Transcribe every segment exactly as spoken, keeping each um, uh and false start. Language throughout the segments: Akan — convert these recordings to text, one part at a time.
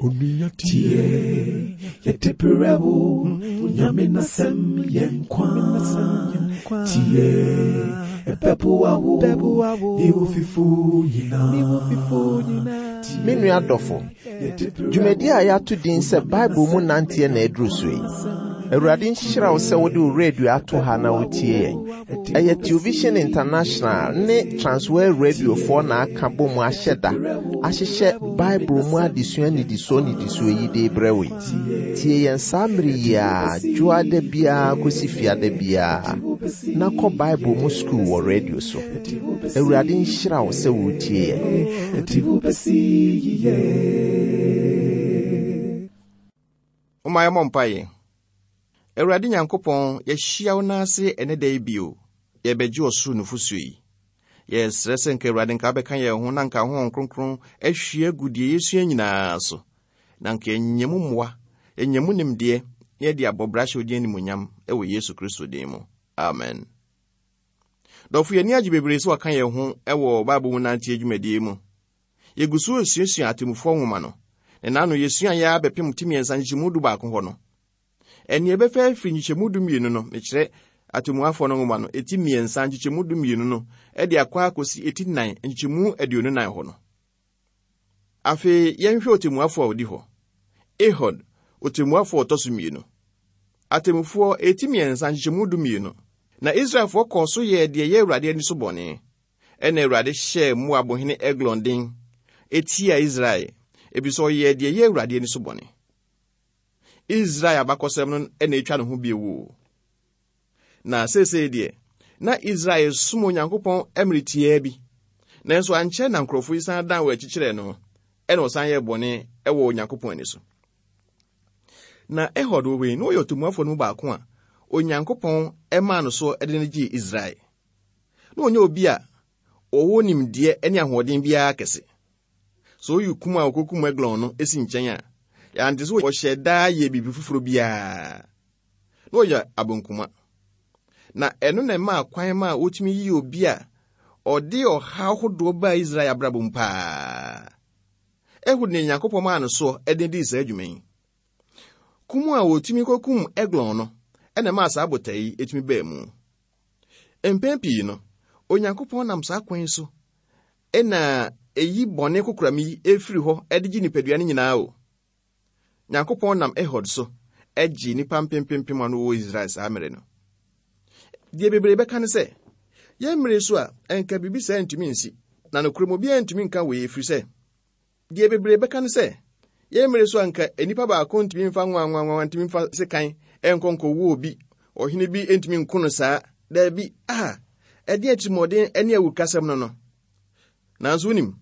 Onua tie, yɛde brɛ wo, Nyame n'asɛm yɛ nkwa. Tie, ɛbɛboa wo, ne wo fifo nyinaa. Me nua dɔfo, dwumadi a yɛato din sɛ Bible mu nanteɛ na aduru so yi. Awurade nhyira wo sɛ wode wo radio ato ha na wotie yɛn. Ɛyɛ Television International ne Transworld Radiofoɔ na aka bɔ mu ahyɛ da ahyehyɛ Bible mu adesua nnidisoɔ nnidisoɔ yi de brɛ wo yi. Tie yɛn saa mmere yi a dwoada biara kɔsi fiada biara na kɔ Bible mu sukuu wɔ radio so. Awurade nhyira wo sɛ wotie yɛn. Ɛti wo bɛsi yiye. Momma yɛmmɔ mpaeɛ. Awurade Nyankopɔn, yɛahyia wo n'ase ɛne da yi bio. Yɛbɛgye ɔsoro nufosuo yi. Yɛsrɛ sɛ nka Awurade nka wobɛka yɛn ho na nka Honhom Kronkron ahwie agu deɛ yɛsua nyinaa so. Na nka yɛnyɛ mu mmoa, yɛnyɛ mu nimdeɛ, na yɛde abɔ bra hyɛ wo din animuonyam ɛwɔ Yesu Kristo din mu. Amen. Dɔfo, yɛni agye bebree sɛ waka yɛn ho ɛwɔ Bible mu nanteɛ dwumadie mu. Yɛgu so resuasua atemmufoɔ nwoma no. Na n'ano yɛsua yɛ abɛpem ti mmiɛnsa nkyekyɛmu du baako hɔ no. Ɛne ɛbɛfɛ afiri nkyekyɛmu du mmienu no, mekyerɛ atemmuafoɔ no nwoma no, eti mmiɛnsa nkyekyɛmu du mmienu no, ɛde akɔ akɔsi eti nnan nkyekyɛmu aduonu nan hɔ no. Afei, yɛnhwɛ otemmuafoɔ a odi hɔ. Ehud, otemmuafoɔ a ɔtɔ so mmienu. Atemmufoɔ eti mmiɛnsa nkyekyɛmu du mmienu. Na Israelfoɔ kɔɔ so yɛɛ deɛ ɛyɛ Awurade ani so bɔne. Ɛna Awurade hyɛɛ Moabhene Eglon den etia Israel, efisɛ ɔyɛɛ deɛ ɛyɛ Awurade ani so bɔne. Israel abakɔsɛm no na etwa ne ho bio o. Na seesei deɛ, na Israel som Onyankopɔn mmere tiaa bi. Nanso ankyɛ na nkurɔfoɔ yi san dan wɔn akyi kyerɛɛ no, ɛna ɔsan yɛɛ bɔne ɛwɔ Onyankopɔn ani so. Na Ehud wɔ wei, na ɔyɛ ɔtemmuafoɔ no mu baako a Onyankopɔn ɛmaa no so de no gyee Israel. Na ɔnyɛ obi a ɔwɔ nimdeɛ ne ahoɔden biara kɛse. Sɛ oyi kum a ɔkɔkum Eglon no esi nkyɛn a, yɛante sɛ ɔhyɛ daa yɛ biribi foforɔ biara. Na ɔyɛ abonkuma. Na ɛno na ɛmaa kwan ma wotumi yi obi a ɔde ɔhaw ahodoɔ baa Israel abrabɔ mu paa. Ehud ne Nyankopɔn maa no so de dii saa adwuma yi. Kum a wotumi kɔkum Eglon no, ɛna ɛmaa saa botae yi etumi baa mu. Mpɛn pii no, Onyankopɔn nam saa kwan yi so ɛna eyi bɔne kokoram yi efiri hɔ ɛde gye nipadua no nyinaa o. Nyankopɔn nam Ehud so ɛgye nnipa mpempempem a wɔ Israel saa mmere no. Deɛ bebree bɛka ne sɛ, yɛn mmere so a ɛnka biribi saa ntumi nsi, na nokorɛ mu obiara ntumi nka wei ɛfiri sɛ, deɛ bebree bɛka ne sɛ, yɛn mmere so a nka nnipa baako ntumi mfa nwanwanwanwa ntumi mfa sekan ɛnkɔ nkɔwɔ obi, ɔhene bi ntumi nko no saa. Daabi, a ɛde atirimuɔden ne awurukasɛm no no. Nanso wonim,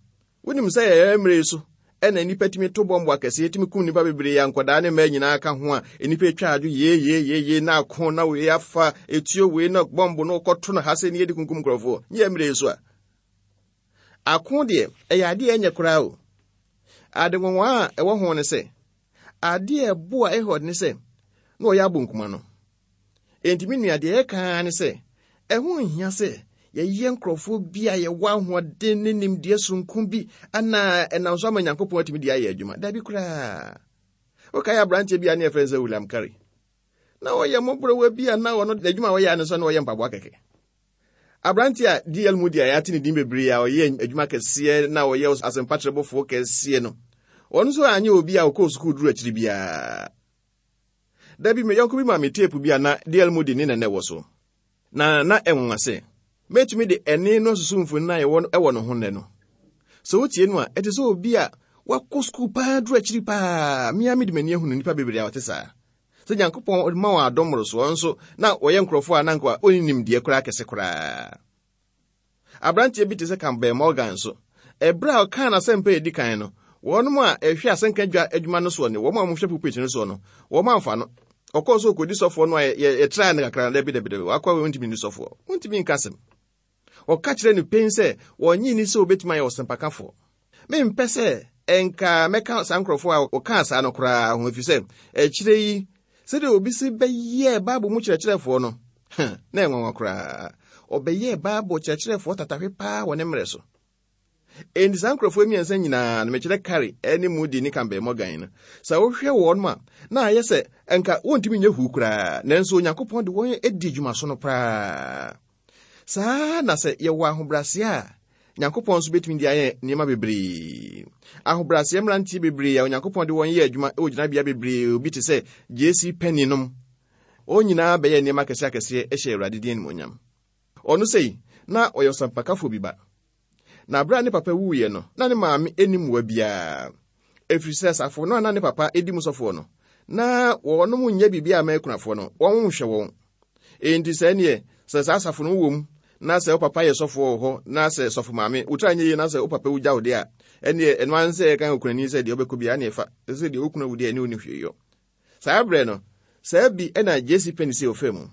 wonim sɛ yɛyɛ mmere so ɛna nnipa tumi to bɔmbo akɛseɛ tumi kum nnipa bebree a nkɔdaa ne mmaa nyinaa ka ho a nnipa atwa adwo yee yee yee yee na ako na wei afa etuo wei na bɔmbo no kɔto no ha sɛ ne yɛde kunkum nkurɔfoɔ. Nyɛ mmere so a. Ako deɛ ɛyɛ adeɛ a ɛnyɛ koraa o. Ade nwanwa a ɛwɔ ho ne sɛ, adeɛ a ɛboa Ehud ne sɛ na ɔyɛ abonkuma no. Enti me nua deɛ ɛka ne sɛ, ɛho nhia sɛ yɛyɛ nkurɔfoɔ bi a yɛwɔ ahoɔden ne nimdeɛ sononko bi ana ɛnam so ama Nyankopɔn atumi de ayɛ adwuma. Dabi koraa. Wokae aberanteɛ bi a ne yɛfrɛ no sɛ William Carey. Na ɔyɛ mmɔborɔwa bi a na ɔno n'adwuma a ɔyɛ ne nso na ɔyɛ mpaboa kɛkɛ. Aberanteɛ a D L Moody a yɛate ne din bebree a ɔyɛ adwuma kɛseɛ na ɔyɛ asɛmpatrɛbɔfoɔ kɛseɛ no, ɔno nso anyɛ obi a ɔkɔɔ sukuu duru akyiri biara. Dabi, me yɔnko bi ma me teepu bi a na D L Moody ne nana wɔ so. Na na ɛnwanwa sɛ, mɛtumi de ɛne no asusu mfoni a ɛwɔ ɛwɔ ne ho nnɛ no. Sɛ wotie no a, ɛte sɛ obi a wakɔ sukuu paa duru akyiri paa. Mmea mede m'ani ahunu nnipa bebree a wɔte saa. Sɛ Nyankopɔn ma wɔn adom mmorosoɔ nso, na wɔyɛ nkurɔfoɔ a na nka ɔnni nimdeɛ koraa kɛse koraa. Aberanteɛ bi te sɛ Campbell Morgan nso, ɛberɛ a ɔkaa n'asɛmpa a ɛdi kan no, wɔnom a ɛhwɛ asɛnka dwa adwuma no soɔ ne wɔn a wɔhwɛ pulpit no soɔ no, wɔn amfa no. Ɔkɔɔ so kɔdi sɔfoɔ no a yɛ-, yɛ-, yɛtraa no kakra, dabi, dabi, dabi, wakɔ a wɔntumi nni sɔfoɔ. Wɔntumi nka asɛm. Ɔka kyerɛ no pɛn sɛ wɔnnye nni sɛ obetumi ayɛ ɔsɛmpakafoɔ. Mempɛ sɛ ɛnka mɛka saa nkurɔfoɔ a wɔkaa saa no koraa ho, ɛfiri sɛ akyire yi, sɛdeɛ obi si bɛyɛɛ Bible mu kyerɛkyerɛfoɔ no, na ɛnwanwa koraa. Ɔbɛyɛɛ Bible kyerɛkyerɛfoɔ tatahwe paa wɔ ne mmerɛ so. Enti saa nkurɔfoɔ mmiɛnsa nyinaa no, mekyerɛ Carey ne Moody ne Campbell Morgan no, sɛ wohwɛ wɔn ma na ayɛ sɛ nka wɔntumi nyɛ huu koraa, nanso Onyankopɔn de wɔn adi dwumaso no koraa. Saa na sɛ yɛwɔ ahobrɛaseɛ a, Nyankopɔn nso bɛtumi de ayɛ nneɛma bebree. Ahobrɛaseɛ mmeranteɛ bebree a Onyankopɔn de wɔn yɛ adwuma wɔ gyinabea bebree, obi te sɛ J C Penney nom, wɔn nyinaa bɛyɛ nneɛma akɛseɛ akɛseɛ hyɛ Awurade din animuonyam. Ɔno sei, na ɔyɛ ɔsampakafoɔ bi ba. Na abere a ne papa wuiɛ no, na ne maame anim mmoa biara. Ɛfiri sɛ asafo no a na ne papa edi mu sɔfoɔ no, na wɔnom nyɛ biribi a mɛkunafoɔ no, wɔn nhwɛ wɔn. Enti sɛ neɛ, sɛ saa asafo no wɔ mu, na sɛ wo papa yɛ sɔfoɔ wɔ hɔ, na sɛ sɔfo maame, wo tira nyɛ yie na sɛ wo papa wugya wo deɛ a, ɛneɛ ɛno ara sɛ ɛka okunani sɛ deɛ wobɛkɔ biara ne ɛfa, sɛ deɛ wokunu awu deɛ ɛne wo ne hwee yɔ. Saa berɛ no, saa bi ɛna J C Penney sɛ ɔfaa mu.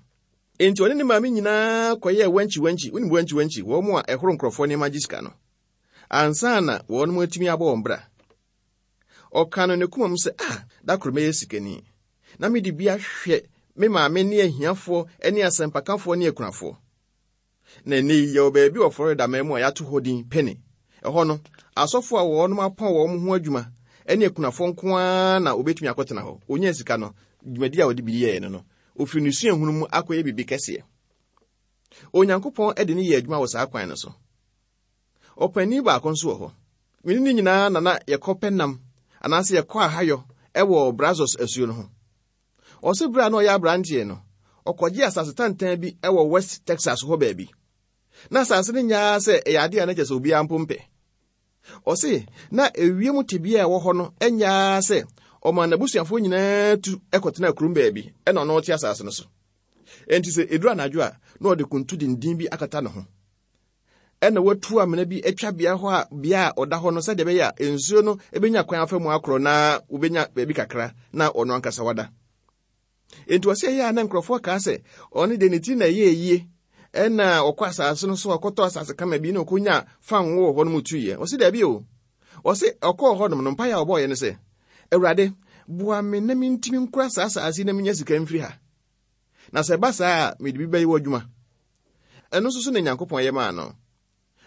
Enti ɔne ne maame nyinaa kɔyɛɛ wankyi wankyi, wonim wankyi wankyi, wɔn mu a ɛhoro nkurɔfoɔ nneɛma gye sika no. Ansa na wɔn mu atumi abɔ wɔn bra. Ɔka no ne koma mu sɛ, ah, da koro mɛyɛ sikani. Na mede bi ahwɛ me maame ne ahiafoɔ ne asɛmpakafoɔ ne akunafoɔ. Na ɛnnɛ yi, yɛwɔ baabi wɔ Florida man mu a yɛato hɔ din Penny. Ɛhɔ no, asɔfoɔ a wɔnom apɔn wɔn ho adwuma ne akunafoɔ nko ara na wɔbɛtumi akɔtena hɔ. Onyaa sika no, dwumadi a wɔde bi yɛɛ no no, ofiri ne suahunu mu akɔyɛ biribi kɛseɛ. Onyankopɔn de ne yɛ adwuma wɔ saa kwan no so. Ɔpanin baako nso wɔ hɔ. Mene ne nyinaa na na yɛkɔ pɛ nam anaasɛ yɛkɔ ahayɔ ɛwɔ Brazos asuo no ho. Ɔse berɛ a na ɔyɛ aberanteɛ no, ɔkɔgye asase tantan bi ɛwɔ West Texas hɔ baabi. Na asase no nyaa sɛ ɛyɛ adeɛ a na kyerɛ sɛ obiara mpo mpɛ. Ɔse na ewiem tebea a ɛwɔ hɔ no nyaa sɛ ɔma n'abusuafoɔ nyinaa tu ɛkɔtena kurom baabi ɛna ɔno ɔte asase no so. Enti sɛ eduru anadwo a, na ɔde kuntu denden bi akata ne ho. Ɛna watu amena bi atwa bea hɔ a bea a ɔda hɔ no sɛdeɛ ɛbɛyɛ a nsuo no ebenya kwan afa mu akorɔ na wobenya baabi kakra na ɔno ankasa wada. Enti ɔsɛ ɛyɛ a na nkurɔfoɔ kaa sɛ ɔno deɛ ne ti na ɛyɛ yie ɛna ɔkɔ asase no so ɔkɔtɔ asase kama bi na ɔkɔnya fango wɔ hɔ no mu tuiɛ. Ɔse daabi o. Ɔse ɔkɔɔ hɔ nom no mpaeɛ a ɔbɔɔyɛ no sɛ, Awurade, boa me na mentumi nkura saa asase yi na menya sika mfiri ha. Na sɛ ɛba saa a, mede bi bɛyɛ w'adwuma. Ɛno nso so na Nyankopɔn yɛ maa no.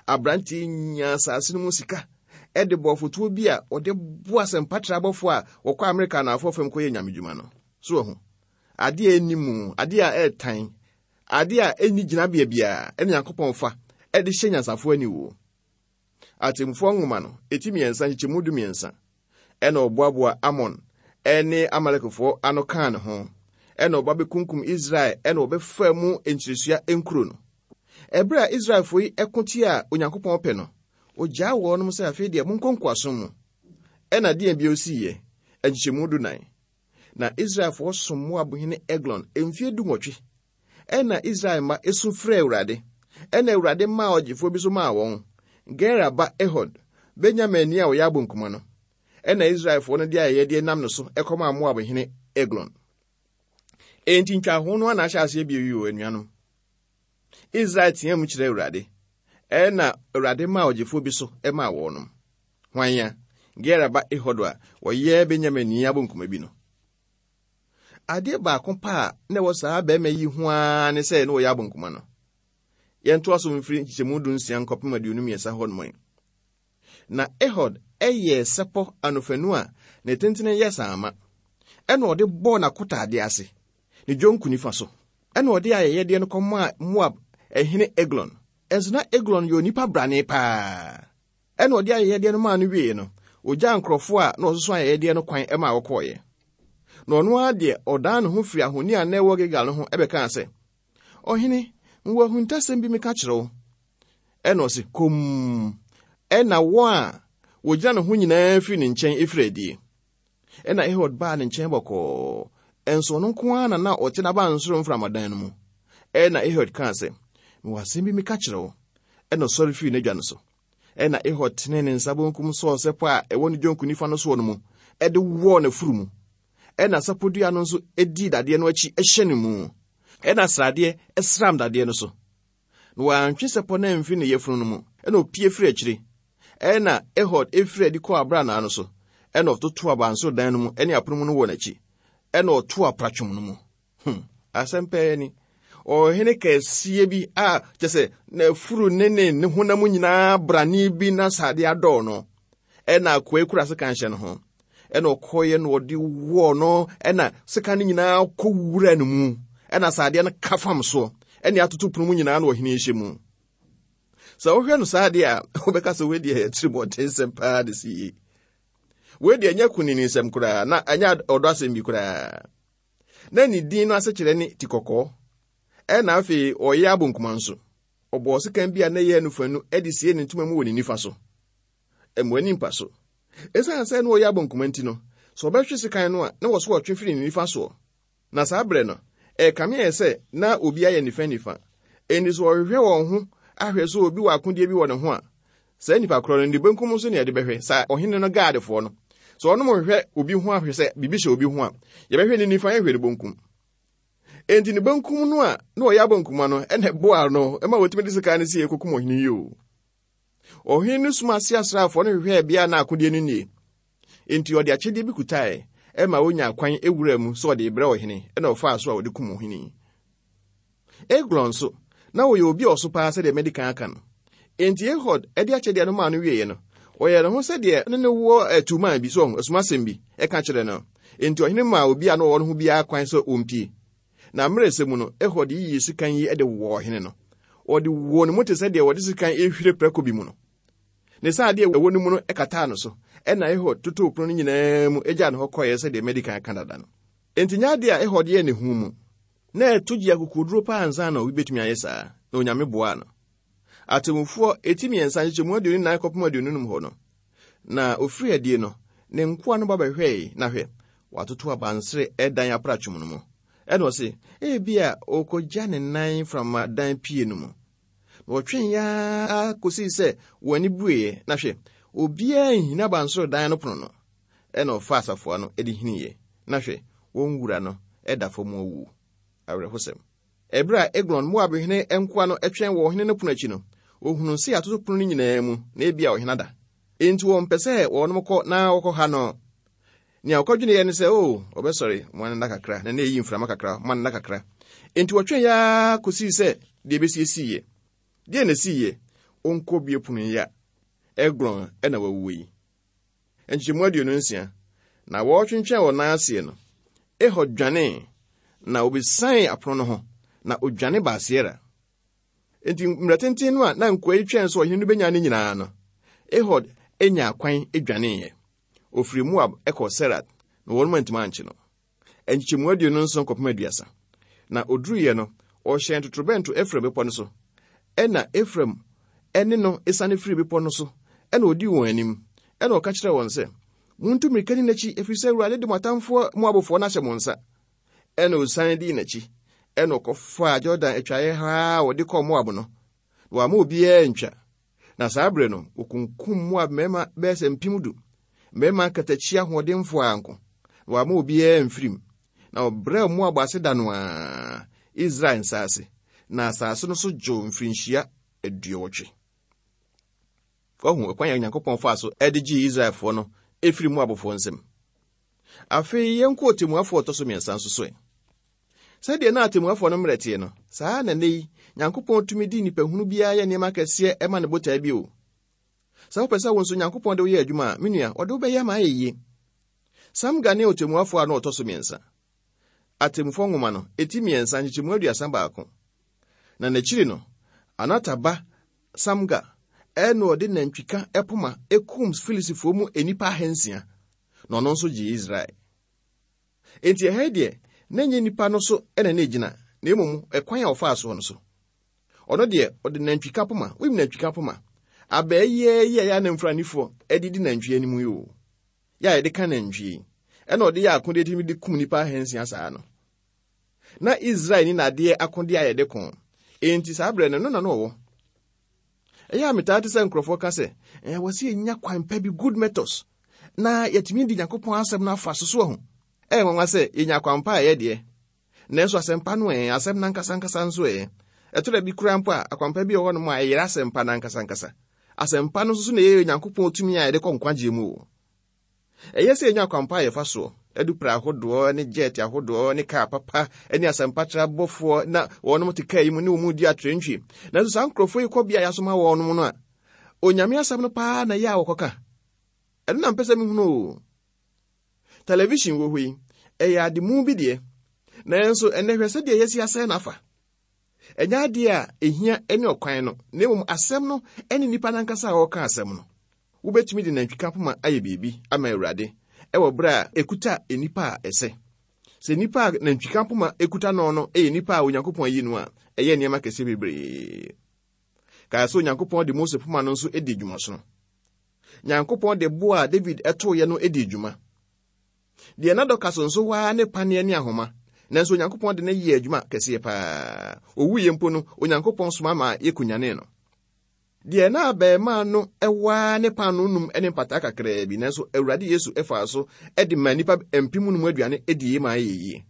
Aberanteɛ nyaa asase no mu sika ɛde bɔ fotoɔ bi a ɔde boa asɛmpatra abɔfoɔ a wɔkɔ Amerika anafoɔ fam kɔyɛ nyamedwuma no. So wɔ ho. Adeɛ a ɛnni mu, adeɛ a ɛɛtan, adeɛ a ɛnni gyinabea biara ɛne Nyankopɔn fa ɛde hyɛ nyansafoɔ aniwuo. Atemmufoɔ nwoma no, eti mmiɛnsa nkyekyɛmu du mmiɛnsa, ɛna ɔboaboa Amon ɛne Amalekfoɔ ano kaa ne ho, ɛna ɔba bɛkunkum Israel ɛna ɔbɛfa mu nkyiresua nkuro no. Ɛberɛ a Israelfoɔ yi ɛko tia Onyankopɔn pɛ no, ogyaa wɔnom sɛ afei deɛ monkɔ nkoasom mu. Ɛna deɛ bio siiɛ, nkyekyɛmu du nan. Na Israelfoɔ som Moab hene Eglon mfeɛ du nwɔtwe. Ɛna Israel mma esu frɛɛ Awurade. Ɛna Awurade maa ɔgyefoɔ bi so maa wɔn, Gera ba Ehud, Benyaminni a ɔyɛ abonkuma no. Ɛna Israelfoɔ no de ayɛyɛdeɛ nam no so ɛkɔmaa Moab hene Eglon. Enti ntwaho no ana ahyɛ aseɛ bio yi o, anuanom. Israel teɛ mu kyerɛ Awurade. Ɛna Awurade maa ɔgyefoɔ bi so ɛmaa wɔnom. Hwan ya? Gera ba Ehud a ɔyɛ Benyaminni abonkuma bi no. Adeɛ baako pa a na ɛwɔ saa barima yi ho ara ne sɛ na ɔyɛ abonkuma no. Yɛntoa so mfiri nkyekyɛmu du nsia nkɔpem aduonu mmiɛnsa hɔ nom yi. Na Ehud ɛyɛɛ sɛpɔ anofanu a ne tentene yɛ saama. Ɛna ɔde bɔɔ n'akotaadeɛ ase, ne dwonku nifa so. Ɛna ɔde ayɛyɛdeɛ no kɔmaa Moab ɛhene Eglon. Ɛnso na Eglon yɛ onipa brane paa. Ɛna ɔde ayɛyɛdeɛ no maa no wieeɛ no, ogyaa nkurɔfoɔ a na ɔsoso ayɛyɛdeɛ no kwan maa wɔkɔɔeɛ. Na ɔno ara deɛ ɔdan ne ho firi ahoni a na ɛwɔ Gilgal no ho ɛbɛkaa sɛ, Ɔhene, mewɔ ahuntasɛm bi meka kyerɛ wo. Ɛna ɔse, komm. Ɛna wɔn a wɔgyina ne ho nyinaa firi ne nkyɛn efiri adie. Ɛna Ehud baa ne nkyɛn bɔkɔɔ. Ɛnso ɔno nko ara na na ɔte n'abansoro mframadan no mu. Ɛna Ehud kaa sɛ, mewɔ asɛm bi meka kyerɛ wo. Ɛna ɔsɔre firi n'adwa no so. Ɛna Ehud tenee ne nsa benkum sɔɔ sɛpɔ a ɛwɔ ne dwonku nifa no soɔ no mu, ɛde wɔɔ n'afuru mu. Ɛna sapɔdua no nso dii dadeɛ no akyi hyɛ ne mu. Ɛna sradeɛ sram dadeɛ no so. Na wantwe sɛpɔ no amfiri ne yafunu no mu, ɛna opie firi akyire. Ɛna Ehud efiri adi kɔɔ abranaa no so. Ɛna ɔtoto abansoro dan no mu ne apono mu no wɔ n'akyi. Ɛna ɔto apratwom no mu. Hmm, asɛm pɛɛ ni. Ɔhene kɛseɛ bi a kyɛ sɛ n'afuru ne ne ne honam nyinaa brane bi na sade adɔɔ no. Ɛna akoa kura sekan hyɛ ne ho. Ɛna ɔkɔeɛ na ɔde wɔɔ no, ɛna sekan no nyinaa kɔ wura ne mu. Ɛna sadeɛ no ka fam so. Ɛne atoto pono mu nyinaa na ɔhene hyɛ mu. Sɛ wohwɛ no saa deɛ a, wobɛka sɛ wei deɛ yɛ tirimɔdensɛm paa de si yie. Wei deɛ ɛnyɛ kunini nsɛm koraa, na ɛnyɛ ɔdɔ asɛm bi koraa. Na ne din no asekyerɛ ne ti kɔkɔɔ. Ɛna afei ɔyɛ abonkuma nso. Ɔbɔɔ sekan bi a na ɛyɛ anufanu de sie ne ntoma mu wɔ ne nifa so. Ɛmo ani mpa so. Ɛsiane sɛ na ɔyɛ abonkuma nti no, sɛ ɔbɛhwe sekan no a, na wɔ so ɔtwe firi ne nifa soɔ. Na saa berɛ no, ɛkame yɛ sɛ na obi ayɛ nifa nifa. Enti sɛ ɔhwehwɛ wɔn ho ahwɛ sɛ obi wɔ akodeɛ bi wɔ ne ho a, saa nipa korɔ no ne benkum nso ne yɛde bɛhwɛ, saa ɔhene no gaadefoɔ no. Sɛ ɔnom hwehwɛ obi ho ahwɛ sɛ biribi hyɛ obi ho a, yɛbɛhwɛ ne nifa, yɛhwɛ ne benkum. Enti ne benkum no a na ɔyɛ abonkuma no, ɛna ɛboa no ɛma wɔtumi de sekan no sie kɔkum ɔhene yi o. Ɔhene no soma ase asraafoɔ no hwehwɛɛ bea na akodeɛ no nie. Enti ɔde akyɛdeɛ bi kutae ɛma wonya kwan ewura mu sɛ ɔde brɛ ɔhene, ɛna ɔfaa so a ɔde kum ɔhene yi. Eglon nso, na ɔyɛ obi a ɔso paa sɛdeɛ madi kan aka no. Enti Ehud ɛde akyɛdeɛ no maa no wieeɛ no, ɔyɛɛ ne ho sɛdeɛ ne ne wɔ atumaa bi so asumasɛm bi ɛka kyerɛ no. Enti ɔhene maa obi a na ɔwɔ no ho biara kwan sɛ ɔmpie. Na mmerɛ sɛ mu no, Ehud yiyi sekan yi de wɔ ɔhene no. Ɔde wɔ ne mu te sɛ deɛ wɔde sekan ehwire prɛko bi mu no. Ne saa adeɛ ɛwɔ ne mu no ɛkataa no so. Ɛna Ehud totoo pono no nyinaa mu agyaa ne hɔ kɔeɛ sɛdeɛ madi kan aka dada no. Enti nyɛ adeɛ a Ehud yɛɛ ne ho mu. Na ɛto gye akokoduro paa ansa na obi betumi ayɛ saa, na Onyame boaa no. Atemmufoɔ eti mmiɛnsa nkyekyɛmu aduonu nnan kɔpem aduonu num hɔ no, na ofiri adie no, ne nkoa no ba bɛhwɛe, na hwɛ, watoto abansere ɛdan apratwom no mu. Ɛna ɔse, ebia ɔkɔgya ne nan framadan pie no mu. Na wɔtwee yaa kosii sɛ wɔn ani bueɛ, na hwɛ, obiara nhina abansoro dan no pono no. Ɛna ɔfaa asafoa no de hiniiɛ, na hwɛ, wɔn wura no ɛda fam awu. Awerɛhosɛm. Ɛberɛ a Eglon Moabhene nkoa no twɛn wɔ ɔhene no pono akyi no, ohunuu sɛ atoto pono no nyinaa mu, na ebia ɔhene ada. Enti wɔmpɛ sɛ wɔnom kɔ na wɔkɔha no. Nea ɔkɔdweneeɛ ne sɛ, o, ɔbɛsɔre, mo anna kakra, na na ɛyi mframa kakra, mo anna kakra. Enti wɔtwɛn yaa kosii sɛ deɛ ɛbɛsiesiiɛ. Deɛ na ɛsiiɛ, ɔnkɔ bie pono yi a, Eglon ɛna wawuo yi. Nkyekyɛmu aduonu nsia, na wɔretwentwɛn wɔn nan aseɛ no, Ehud dwanee, na obesian apono no ho, na odwane baa Seera. Enti mmerɛ tenten no a na nkoa yi twɛn sɛ ɔhene no bɛnya ne nyinaa no, Ehud anya kwan dwaneeɛ. Ofiri Moab kɔɔ Serat, na wɔn antumi ankye no. Nkyekyɛmu aduonu nson kɔpem aduasa. Na oduruiɛ no, ɔhyɛn totorobɛnto Efraim bepɔ no so. Ɛna Efraim ɛne no esiane firi bepɔ no so, ɛna odii wɔn anim. Ɛna ɔka kyerɛɛ wɔn sɛ, muntu mmirika ni n'akyi, ɛfiri sɛ Awurade de mo atamfoɔ Moabfoɔ no ahyɛ mo nsa. Ɛna osiane dii n'akyi. Ɛna ɔkɔfaa Jordan atwaeɛ ha a wɔde kɔɔ Moab no, na wamma obiara ntwa. Na saa berɛ no, wɔkunkum Moab mmarima bɛyɛ sɛ mpem du, mmarima akatakyi ahoɔdenfoɔ anko, na wamma obiara mfirim. Na ɔbrɛɛ Moab ase da no ara Israel nsa ase, na asase no so dwoo mfirinhyia aduɔwɔtwe. Wahu ɛkwan a Onyankopɔn faa so de gyee Israelfoɔ no ɛfiri Moabfoɔ nsam. Afei yɛnkɔ ɔtemmuafoɔ ɔtɔ so mmiɛnsa nso so ɛ. Sɛdeɛ na atemmuafoɔ no mmerɛ teɛ no, saa na nnɛ yi Nyankopɔn tumi di nnipahunu biara yɛ nneɛma kɛseɛ ɛma ne botae bi o. Sɛ wopɛ sɛ wo nso Nyankopɔn de wo yɛ adwuma a, me nua, ɔde wo bɛyɛ ama ayɛ yie. Samga ne ɔtemmuafoɔ a na ɔtɔ so mmiɛnsa. Atemmufoɔ nwoma no, eti mmiɛnsa nkyekyɛmu aduasa baako. Na n'akyiri no, Anata ba Samga ɛna ɔde nantwika ɛpoma ekum Filistifoɔ mu nnipa ahansia, na ɔno nso gyee Israel. Enti ɛha yi deɛ, na ɛnyɛ nnipa no so ɛna na egyina, na mmom ɛkwan a ɔfaa soɔ no so. Ɔno deɛ, ɔde nantwika poma, wonim nantwika poma? Abɛɛ yɛ yi a yɛ anamfranifoɔ ɛde di nantwie anim yi o. Yɛ a yɛde ka nantwie. Ɛna ɔde yɛ akodeɛ tumi de kum nnipa ahansia saa no. Na Israel ni nadeɛ akodeɛ a yɛde ko. Enti saa berɛ no, no na no ɔwɔ. Ɛyɛ a metaa te sɛ nkurɔfoɔ ka sɛ, ɛɛ wɔ sɛ yɛnya kwan pa bi, good methods, na yɛtumi di Nyankopɔn asɛm no afa so so ahu. Ɛyɛ nwanwa sɛ yɛnya kwan pa a ɛyɛ deɛ. Nanso asɛmpa no ɛɛ, asɛm no ankasa ankasa nso ɛɛ. Ɛtɔ da bi koraa mpo a, akwampa bi wɔ hɔnom a ɛyera asɛmpa no ankasa ankasa. Asɛmpa no nso so na ɛyɛ Nyankopɔn tumi a yɛde kɔ nkwagyeɛ mu o. Ɛyɛ sɛ yɛnya akwampa a yɛfa soɔ, Adupra ahodoɔ ne jet ahodoɔ ne kaa papa ne asɛmpatra abɔfoɔ na wɔnom te kaa yi mu ne wɔn di atrantwie. Nanso saa nkurɔfoɔ yi kɔ bea a yɛasoma wɔnom no a, Onyame asɛm no paa na ɛyɛ a wɔkɔka. Ɛno na mpɛ sɛ mehunu o. Television wɔ hɔ yi, ɛyɛ ade mu bi deɛ. Nanso ɛnnɛ hwɛ sɛdeɛ yɛasi asɛe n'afa. Ɛnyɛ adeɛ a ehia ne ɔkwan no, na mmom asɛm no ne nnipa n'ankasa a wɔreka asɛm no. Wobɛtumi de nantwika poma ayɛ biribi ama Awurade ɛwɔ berɛ a ekuta nnipa a ɛsɛ. Sɛ nnipa a nantwika poma ekuta no no yɛ nnipa a Onyankopɔn ayi no a, ɛyɛ nneɛma kɛseɛ bebree. Kae sɛ Onyankopɔn de Mose poma no nso di dwumasono. Nyankopɔn de bo a David ɛtoeɛ no di dwuma. Deɛ na Dorcas nso waa ne paneɛ ne ahoma, nanso Onyankopɔn de no yɛɛ adwuma kɛseɛ paa. Owuiɛ mpo no, Onyankopɔn soma ma yɛkunyanee no. Deɛ na abɛɛmaa no ɛwaa ne paanoo num ne mpataa kakraa bi, nanso Awurade Yesu ɛfaa so ɛde maa nnipa mpem num aduane ɛdie ma ayɛ yie.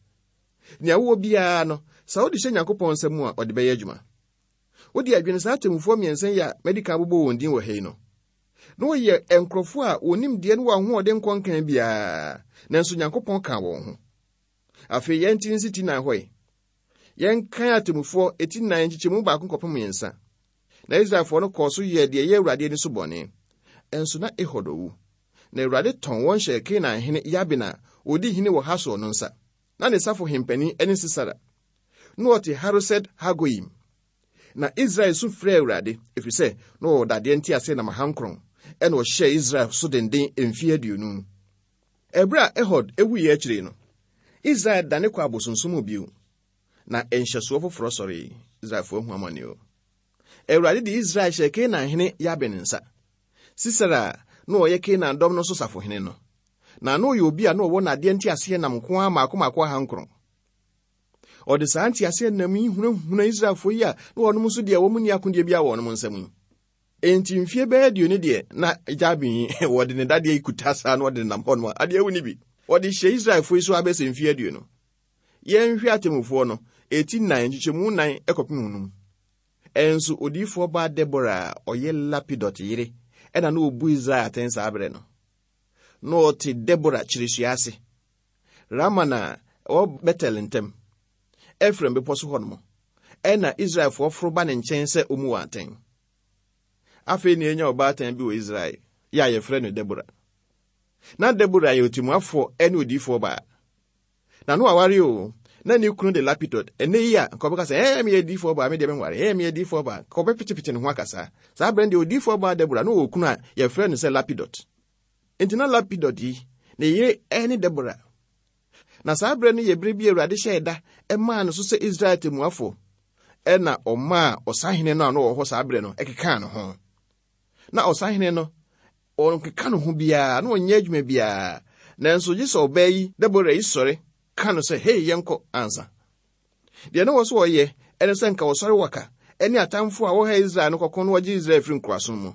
Nea wowɔ biara no, sɛ wode hyɛ Nyankopɔn nsa mu a, ɔde bɛyɛ adwuma. Wode adwene saa atemmufoɔ mmiɛnsa yi a madi kan abobɔ wɔn din wɔ ha yi no, na wɔyɛ nkurɔfoɔ a wɔnim deɛ ne wɔn ahoɔden nkɔ nkan biara, nanso Nyankopɔn ka wɔn ho. Afei yɛn ti nsi ti nan hɔ yi. Yɛnkan atemmufoɔ eti nan nkyekyɛmu baako kɔpem mmiɛnsa. Na Israelfoɔ no kɔɔ so yɛɛ deɛ ɛyɛ Awurade ani so bɔne. Ɛnso na Ehud owu. Na Awurade tɔn wɔn hyɛɛ Kanaan hene Yabin a odi hene wɔ Hasor no nsa. Na ne safo hempani ne Sisera. Na ɔte Haroset Hagoyim. Na Israel su frɛɛ Awurade, ɛfiri sɛ na ɔwɔ dadeɛ nteaseɛnam ahankron, ɛna ɔhyɛɛ Israel so denden mfeɛ aduonu. Ɛberɛ a Ehud ewuiɛ akyire no, Israel dane kɔ abosonsom mu bio. Na nhyɛsoɔ foforɔ sɔree. Israelfoɔ ahu amane o. Awurade de Israel hyɛɛ Kanaan hene Yabin nsa. Sisera a na ɔyɛ Kanaan dɔm no so safohene no. Na na ɔyɛ obi a na ɔwɔ n'adeɛ nteaseɛnam nko ara mmaako mmaako ahankron. Ɔde saa nteaseɛnam yi hunahuna Israelfoɔ yi a na wɔnom nso deɛ wɔn nni akodeɛ biara wɔ wɔn nsam yi. Enti mfie bɛyɛ aduonu deɛ na Yabin yi wɔde ne dadeɛ yi kuta saa na ɔde nam hɔ nom a adeɛ awu ne bi. Wɔde hyɛ Israelfoɔ yi so abɛsɛ mfie aduonu. Yɛnhwɛ atemmufoɔ no, eti nnan nkyekyɛmu nnan kɔpem num. Ɛnso odiyifoɔ baa Debora a ɔyɛ Lapidot yere ɛna na ɔbu Israel atɛn saa berɛ no. Na ɔte Debora kyiresua ase. Rama na ɛwɔ Betel ntam. Efraim bepɔ so hɔ nom. Ɛna Israelfoɔ foro ba ne nkyɛn sɛ ɔmu wɔ atɛn. Afei na enya ɔbaatan bi wɔ Israel, yɛ a yɛfrɛ no Debora. Na Debora yɛ otimuafoɔ ɛne odiyifoɔ baa. Na no aware o, na ne kunu de Lapidot. Ɛnɛ yi a, nka ɔbɛka sɛ, ɛɛ meyɛ diyifoɔ baa, me deɛ menware, ɛɛ meyɛ diyifoɔ baa. Nka ɔbɛpetepete ne ho akasa. Saa berɛ no deɛ odiyifoɔ baa Debora na ɔwɔ kunu a yɛfrɛ no sɛ Lapidot. Enti na Lapidot yi, ne yere ɛne Debora. Na saa berɛ no yɛ berɛ bi a Awurade hyɛɛ da ɛmaa no so sɛ Israel temmuafoɔ. Ɛna ɔmaa ɔsahene no a na ɔwɔ hɔ saa berɛ no ɛkekaa ne ho. Na ɔsahene no, ɔnkeka ne ho biara, na ɔnyɛ adwuma biara. Nanso gye sɛ ɔbaa yi, Debora yi sɔre, ka no sɛ, hei, yɛnkɔ ansa. Deɛ na wɔ so ɔyɛ, ɛne sɛ nka wɔsɔre waka, ɛne atamfo a wɔha Israel no kɔkɔ no wɔgye Israel firi nkoasom mu.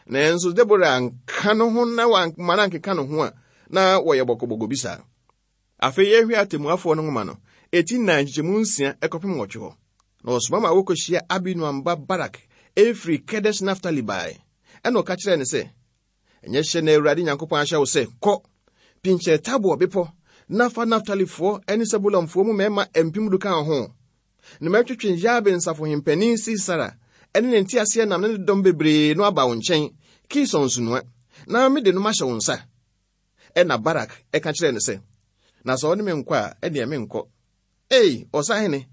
Nanso Debora anka no ho na wamma no ankeka ne ho a, na wɔyɛ bɔkɔbɔkɔ bi saa. Afei yɛhwɛ atemmuafoɔ no nwoma no, eti nnan nkyekyɛmu nsia ɛkɔpem nwɔtwe hɔ. Na ɔsoma ma wɔkɔhyia Abinoam ba Barak ɛfiri Kedes Naftali bae. Ɛna ɔka kyerɛɛ no sɛ, ɛnyɛ hyɛ na Awurade Nyankopɔn ahyɛ wo sɛ, kɔ, pinkyɛ Tabor bepɔ, na fa Naftalifoɔ ne Sebulonfoɔ mu mmarima mpem du ka ho. Na mɛtwetwe Yabin safohempanin Sisera ɛne ne nteaseɛnam ne ne dɔm bebree no aba wo nkyɛn, Kison nsunoa, na mede no mahyɛ wo nsa. Ɛna Barak ɛka kyerɛɛ no sɛ, na sɛ ɔne me nkɔ a, ɛneɛ menkɔ. Ei, ɔsahene,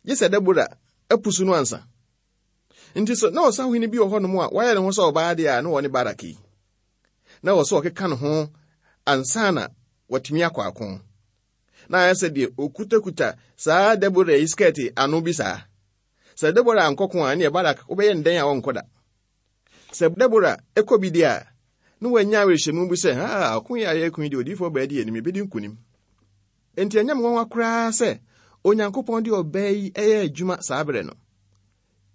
gye sɛ Debora apusu no ansa. Nti sɛ na ɔsahene bi wɔ hɔnom a wayɛ ne ho sɛ ɔbaa deɛ a na ɔne Barak yi. Na wɔ sɛ ɔkeka ne ho ansa na watumi akɔ ako. Na ayɛ sɛ deɛ okutakuta saa Debora yi skɛɛte ano bi saa. Sɛ Debora ankɔko a, ɛneɛ Barak wobɛyɛ ndɛn a ɔnkɔ da. Sɛ Debora ɛkɔ bi deɛ a, na wanya awerɛhyɛmu bi sɛ, ha, ɔko yi a yɛreko yi deɛ odiyifoɔ baa di anim, ebɛdi nkonim. Enti ɛnyɛ me nwanwa koraa sɛ Onyankopɔn de ɔbaa yi ɛyɛ adwuma saa berɛ no.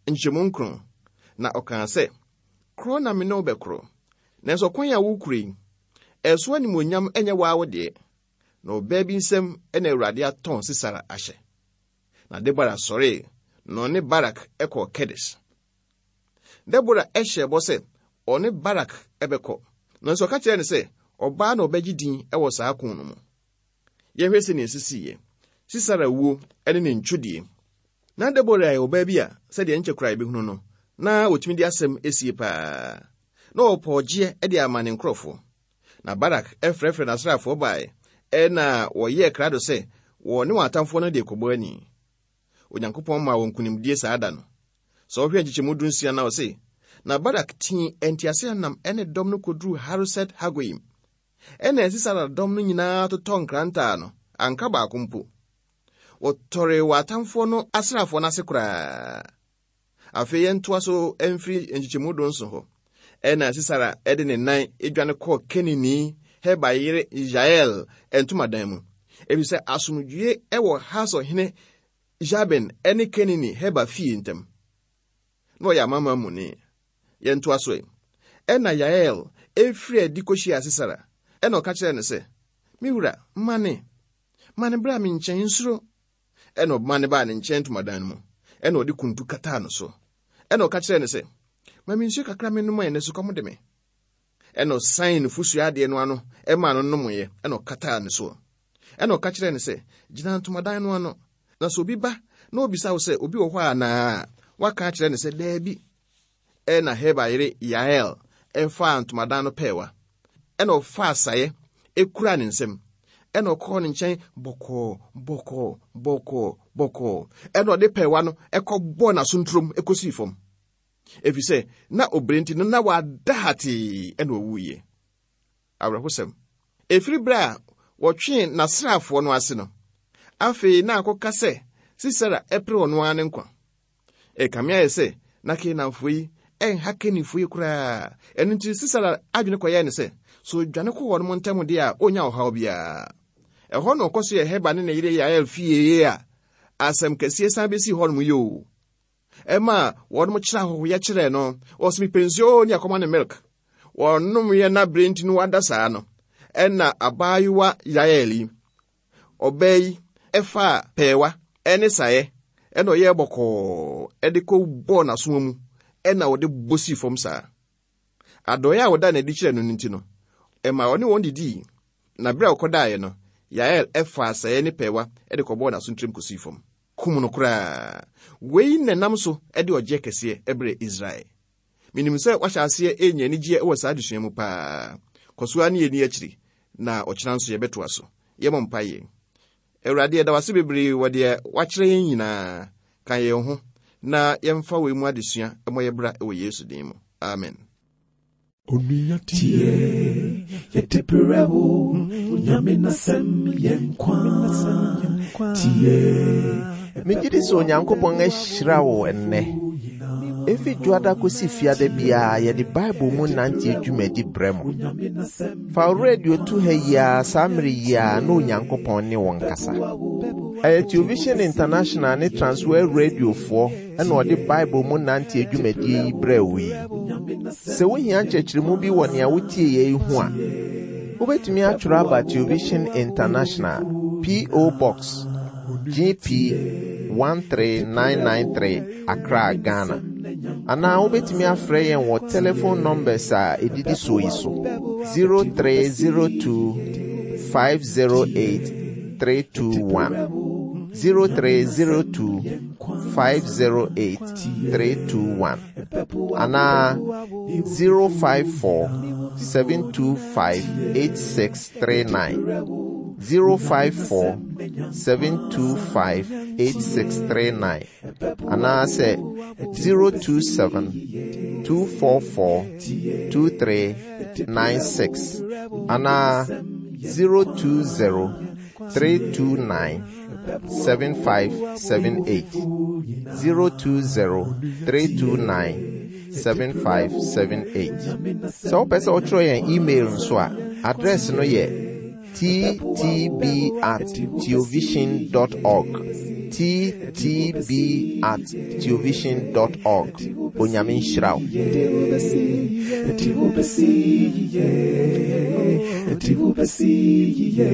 Nkyɛmu nkron, na ɔkaa sɛ, korɔ na me ne wo bɛkorɔ. Nanso ɔkwan a wokura yi, ɛso animuonyam ɛnyɛ waa wo deɛ. Na ɔbaa bi nsam ɛna Awurade atɔn Sisera ahyɛ. Na Debora sɔree, na ɔne Barak ɛkɔɔ Kedes. Debora ɛhyɛɛ bɔ sɛ ɔne Barak ɛbɛkɔ. Nanso ɔka kyerɛɛ no sɛ, Ɔbaa na ɔbɛgye din wɔ saa ko no mu. Yɛhwɛ sɛnea ɛsisiiɛ. Sisera wuo ne ne ntwodie. Na Debora yɛ ɔbaa bi a sɛdeɛ nkyɛ koraa yɛbɛhunu no, na wɔtumi de asɛm esie paa. Na ɔpɔ ɔgyeɛ de ama ne nkurɔfoɔ. Na Barak frɛfrɛ n'asraafoɔ baeɛ, ɛna wɔyɛɛ krado sɛ wɔ ne wɔn atamfoɔ no de kɔbɔ ani. Onyankopɔn maa wɔn nkonimdie saa da no. Sɛ ɔhwɛ nkyekyɛmu du nsia na ɔse, na Barak tii nteaseɛnam ne dɔm no kɔduruu Haroset Hagoyim. Ɛna Sisera dɔm no nyinaa totɔ nkrantaa no, anka baako mpo. Wɔtɔree wɔ atamfoɔ no asraafoɔ no ase koraa. Afei yɛntoa so mfiri nkyekyɛmu du nson hɔ. Ɛna Sisera de ne nan dwane kɔɔ Kenini Heber yere Yael ntomadan mu. Efisɛ asomdwie wɔ Hasor hene Jabin ne Kenini Heber fie ntam. Na ɔyɛ amanaman muni. Yɛntoa so ɛ. Ɛna Yael efiri adi kɔhyia Sisera. Ɛna ɔka kyerɛɛ no sɛ, me wura, mane. Mane bra me nkyɛn, nsuro. Ɛna ɔma baa ne nkyɛn ntomadan no mu. Ɛna ɔde kuntu kataa no so. Ɛna ɔka kyerɛɛ no sɛ, ma me nsuo kakra menom ɛ, na sukɔm de me. Ɛna ɔsan nufosuo adeɛ no ano ɛmaa no nomoeɛ, ɛna ɔkataa ne soɔ. Ɛna ɔka kyerɛɛ no sɛ, gyina ntomadan no ano, na sɛ obi ba na obisa wo sɛ obi wɔ hɔ anaa, waka akyerɛ no sɛ daabi. Ɛna Heber yere Yael ɛfaa ntomadan no pɛɛwa. Ɛna ɔfaa saeɛ ekura ne nsam. Ɛna ɔkɔɔ ne nkyɛn bɔkɔɔ bɔkɔɔ bɔkɔɔ bɔkɔɔ. Ɛna ɔde pɛɛwa no ɛkɔbɔɔ n'asonturom ekosii fam. Ɛfiri sɛ na obere nti no na wada hatee ɛna ɔwuiɛ. Awerɛhosɛm. Ɛfiri berɛ a wɔtwee n'asraafoɔ no ase no, afei na akɔka sɛ Sisera ɛpere ɔno ara ne nkwa. Ɛkame ayɛ sɛ na Kanaanfoɔ yi ɛnha Kenifoɔ yi koraa. Ɛno nti Sisera adwene kɔyɛɛ ne sɛ, sɛ odwane kɔ wɔn ntam deɛ a ɔnya ɔhaw biara. Ɛhɔ na ɔkɔ so yɛ Heber ne ne yere Yael fie a asɛm kɛseɛ san bɛsii hɔnom yi o. Ɛma wɔnom kyerɛ ahɔhoyɛ kyerɛɛ no, ɔsɛ mepɛ nsuo ne akɔma ne milk. Wɔnom yɛ na bere nti no wada saa no, ɛna abaayewa Yael yi, ɔbaa yi ɛfaa pɛɛwa ɛne saeɛ, ɛna ɔyɛɛ bɔkɔɔ ɛde kɔ bɔɔ n'asowa mu, ɛna ɔde bɔ sii fam saa. Adɔeɛ a wɔda n'adi kyerɛ no no nti no, ɛma ɔne wɔn didii. Na bere a ɔkɔdaeɛ no, Yael ɛfaa saeɛ ne pɛɛwa ɛde kɔbɔɔ n'asontirim kɔsii fam. Kum no koraa. Wei na ɛnam so ɛde ɔgyeɛ kɛseɛ ɛbrɛ Israel. Menim sɛ wahyɛ aseɛ ɛnya anigyeɛ ɛwɔ saa adesua mu paa. Kɔ so ara ne yɛni akyiri, na ɔkyena nso yɛbɛtoa so. Yɛmmɔ mpaeɛ. Awurade, yɛda wo ase bebree wɔ deɛ wakyerɛ yɛn nyinaa. Ka yɛn ho na yɛmfa wei mu adesua mmɔ yɛ bra wɔ Yesu din mu. Amen. Onua tie, yɛde brɛ wo, Onyame n'asɛm yɛ nkwa. Tie, Megye di sɛ Onyankopɔn ahyira wo ɛnnɛ. Efi dwoada kɔsi fiada biara yɛde Bible mu nante dwumadi brɛ mo. Fa wo radio to ha yi ara saa mmere yi ara na Onyankopɔn ne wo nkasa. Ɛyɛ Television International ne Transworld Radiofoɔ ɛna ɔde Bible mu nante dwumadie yi brɛ wo yi. Sɛ wohia nkyerɛkyerɛmu bi wɔ nea wotie yɛ yi ho a, wobɛtumi atwerɛ aba Television International, P O. Box G P one three nine nine three, Accra, Ghana. Anaa wobɛtumi afrɛ yɛn wɔ telephone numbers a ɛdidi soɔ yi so: zero three zero two five zero eight three two one, zero three zero two five zero eight three two one, anaa zero five four seven two five eight six three nine, zero five four seven two five eight six three nine, anaasɛ zero two seven two four four two three nine six, anaa zero two zero three two nine seven five seven eight, zero two zero three two nine seven five seven eight. Sɛ wopɛ sɛ wotwerɛ yɛn email nso a, address no yɛ T T B at theovision dot org, T T B at theovision dot org. Onyame nhyira wo. Yɛde wo bɛsi yie, yɛde wo bɛsi yie.